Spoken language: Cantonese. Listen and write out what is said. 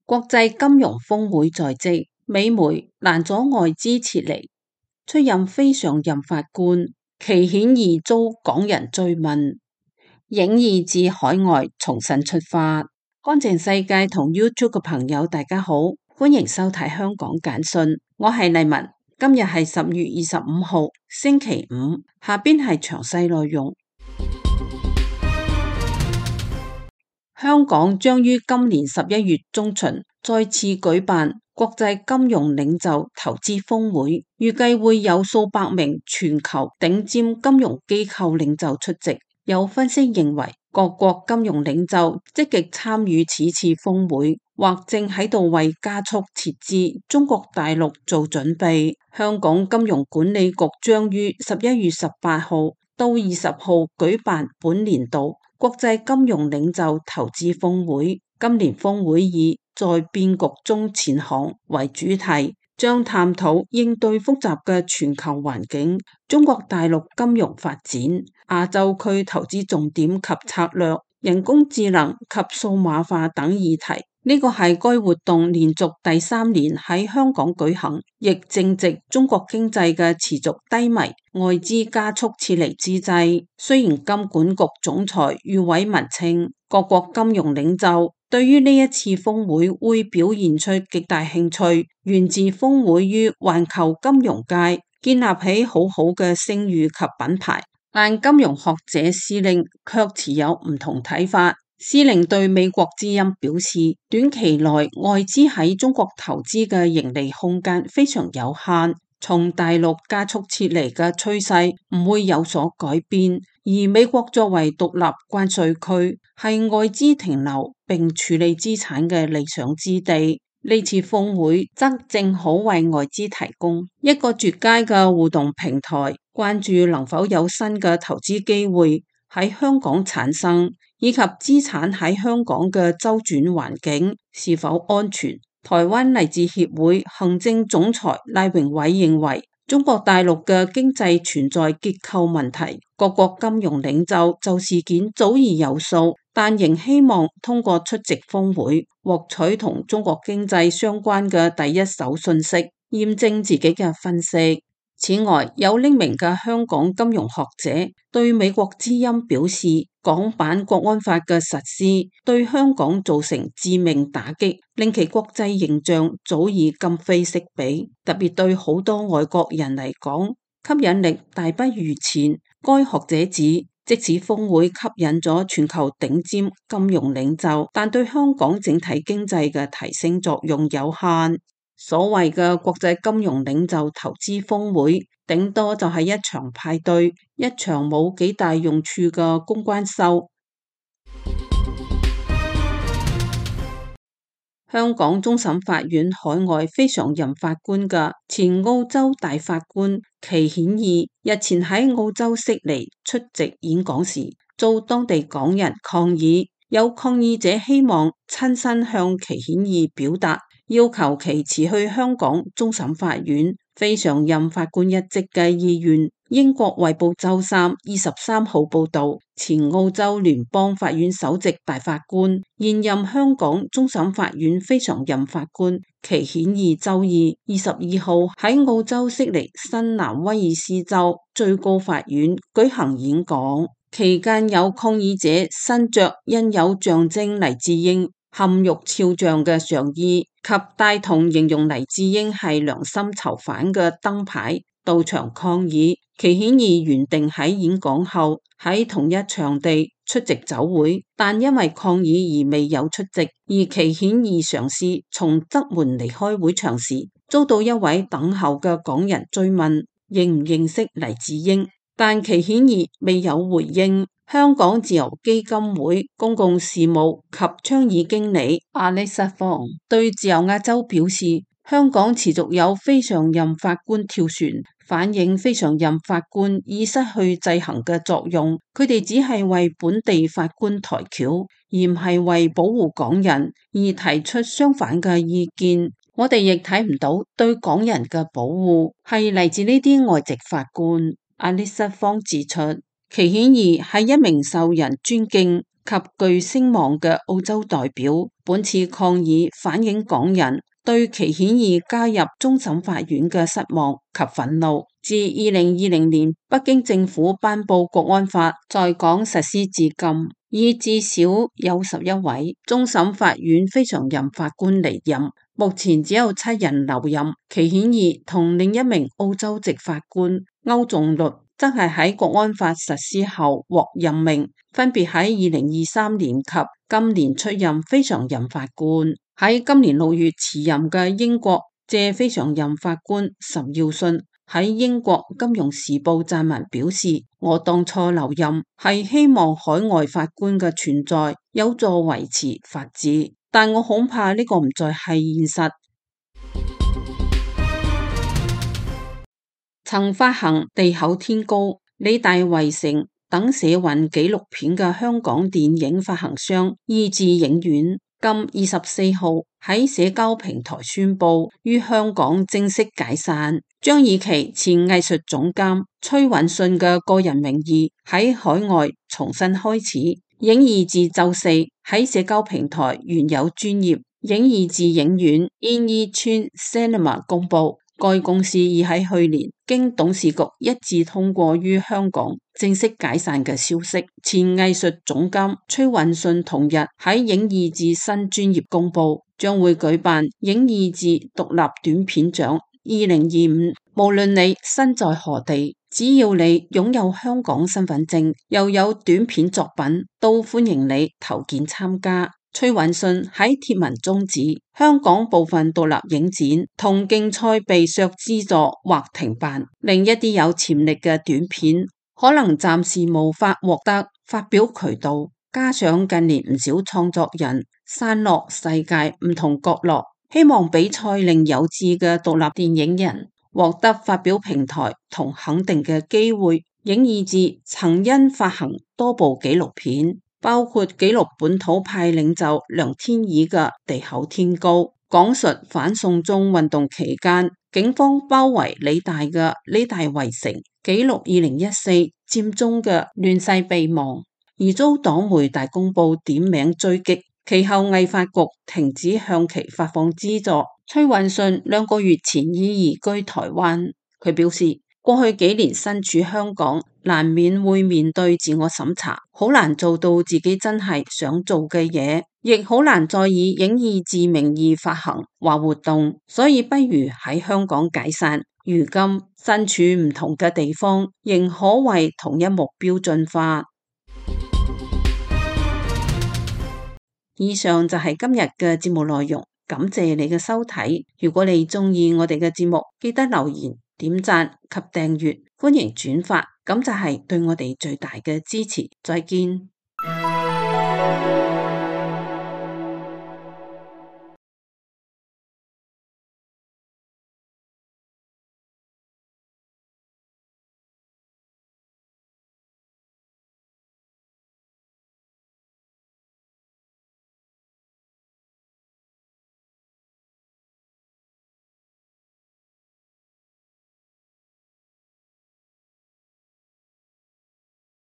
國際金融峰會在即，美媒攔阻外資撤離，出任非常任法官，祁顯義遭港人追問，影意至海外重新出發。乾淨世界同 YouTube 嘅朋友大家好，歡迎收睇香港簡訊，我係麗文，今日係10月25號星期五，下邊係詳細內容。香港將於今年11月中旬再次舉辦國際金融領袖投資峰會，預計會有數百名全球頂尖金融機構領袖出席。有分析認為，各國金融領袖積極參與此次峰會，或正喺度為加速撤至中國大陸做準備。香港金融管理局將於11月18號到20號舉辦本年度國際金融領袖投資峰會，今年峰會以在變局中前行為主題，將探討應對複雜嘅全球環境、中國大陸金融發展、亞洲區投資重點及策略、人工智能及數碼化等議題。呢個係該活動連續第3年喺香港舉行，亦正值中國經濟嘅持續低迷、外資加速撤離之際。雖然金管局總裁余偉文稱，各國金融領袖對於呢一次峰會會表現出極大興趣，源自峰會於環球金融界建立起好好嘅聲譽及品牌。但金融學者施令卻持有唔同睇法。施令對美國之音表示，短期內外資喺中國投資嘅盈利空間非常有限，從大陸加速撤離嘅趨勢唔會有所改變，而美國作為獨立關稅區，係外資停留並處理資產嘅理想之地。呢次峰會則正好為外資提供一個絕佳嘅互動平台，關注能否有新嘅投資機會喺香港產生，以及資產喺香港嘅周轉環境是否安全。台灣勵志協會行政總裁賴榮偉認為，中國大陸嘅經濟存在結構問題，各國金融領袖就事件早已有數，但仍希望通過出席峰會獲取同中國經濟相關嘅第一手信息，驗證自己嘅分析。此外，有匿名嘅香港金融學者對美國之音表示，港版國安法嘅實施對香港造成致命打擊，令其國際形象早已今非昔比。特別對好多外國人嚟講，吸引力大不如前。該學者指，即使峰會吸引咗全球頂尖金融領袖，但對香港整體經濟嘅提升作用有限。所謂嘅國際金融領袖投資峰會，頂多就係一場派對，一場冇幾大用處嘅公關秀。香港終審法院海外非常任法官嘅前澳洲大法官祁顯義日前喺澳洲悉尼出席演講時，遭當地港人抗議，有抗議者希望親身向祁顯義表達，要求其辭去香港終審法院非常任法官一職嘅意願。英國衛報周三23號報道，前澳洲聯邦法院首席大法官、現任香港終審法院非常任法官祁顯義周二22號喺澳洲悉尼新南威爾斯州最高法院舉行演講，期間有抗議者身着印有象徵黎智英嵌玉肖像嘅上衣及帶同形容黎智英係良心囚犯嘅燈牌到場抗議。祁顯義原定喺演講後喺同一場地出席酒會，但因為抗議而未有出席。而祁顯義嘗試從側門離開會場時，遭到一位等候嘅港人追問認唔認識黎智英，但祁顯義未有回應。香港自由基金會公共事務及倡議經理阿力薩方對自由亞洲表示，香港持續有非常任法官跳船，反映非常任法官已失去制衡嘅作用，佢哋只係為本地法官抬轎，而唔係為保護港人而提出相反嘅意見。我哋亦睇唔到對港人嘅保護係嚟自呢啲外籍法官。阿里瑟方指出，祁顯義係一名受人尊敬及具聲望嘅澳洲代表，本次抗議反映港人對祁顯義加入終審法院嘅失望及憤怒。自2020年北京政府頒布國安法在港實施至今，已至少有11位終審法院非常任法官離任，目前只有7人留任。祁顯義同另一名澳洲籍法官歐仲律則係喺國安法實施後獲任命，分別喺2023年及今年出任非常任法官。喺今年6月辭任嘅英國借非常任法官岑耀信喺英國金融時報撰文表示，我當初留任係希望海外法官嘅存在有助維持法治，但我恐怕呢個唔再係現實。曾發行《地厚天高》、理大圍城等社運紀錄片嘅香港電影發行商意志影院今24號喺社交平台宣布於香港正式解散，將以其前藝術總監崔允信嘅個人名義喺海外重新開始。影意志周四喺社交平台原有專頁影意志影院 In Yi Chuan Cinema 公布，該公司已喺去年經董事局一致通過於香港正式解散嘅消息。前藝術總監崔允信同日喺影意志新專頁公布，將會舉辦影意志獨立短片獎2025，無論你身在何地，只要你擁有香港身份證，又有短片作品，都歡迎你投件參加。崔允信喺貼文中指，香港部分獨立影展同競賽被削資助或停辦，令一啲有潛力嘅短片可能暫時無法獲得發表渠道。加上近年唔少創作人散落世界唔同角落，希望比賽令有志嘅獨立電影人獲得發表平台同肯定嘅機會。影意志曾因發行多部紀錄片，包括紀錄本土派領袖梁天琦嘅《地厚天高》，講述反送中運動期間警方包圍理大嘅理大圍城，紀錄2014佔中嘅亂世備忘，而遭黨媒大公報點名追擊，其後藝發局停止向其發放資助。崔允信2個月前已移居台灣，佢表示過去幾年身處香港，難免會面對自我審查，好難做到自己真係想做嘅嘢，亦好難再以影意志名義發行或活動，所以不如喺香港解散。如今身處唔同嘅地方，仍可為同一目標進化。以上就係今日嘅節目內容，感謝你嘅收睇。如果你鍾意我哋嘅節目，記得留言、點讚及訂閱，歡迎轉發，咁就係對我哋最大嘅支持。再見。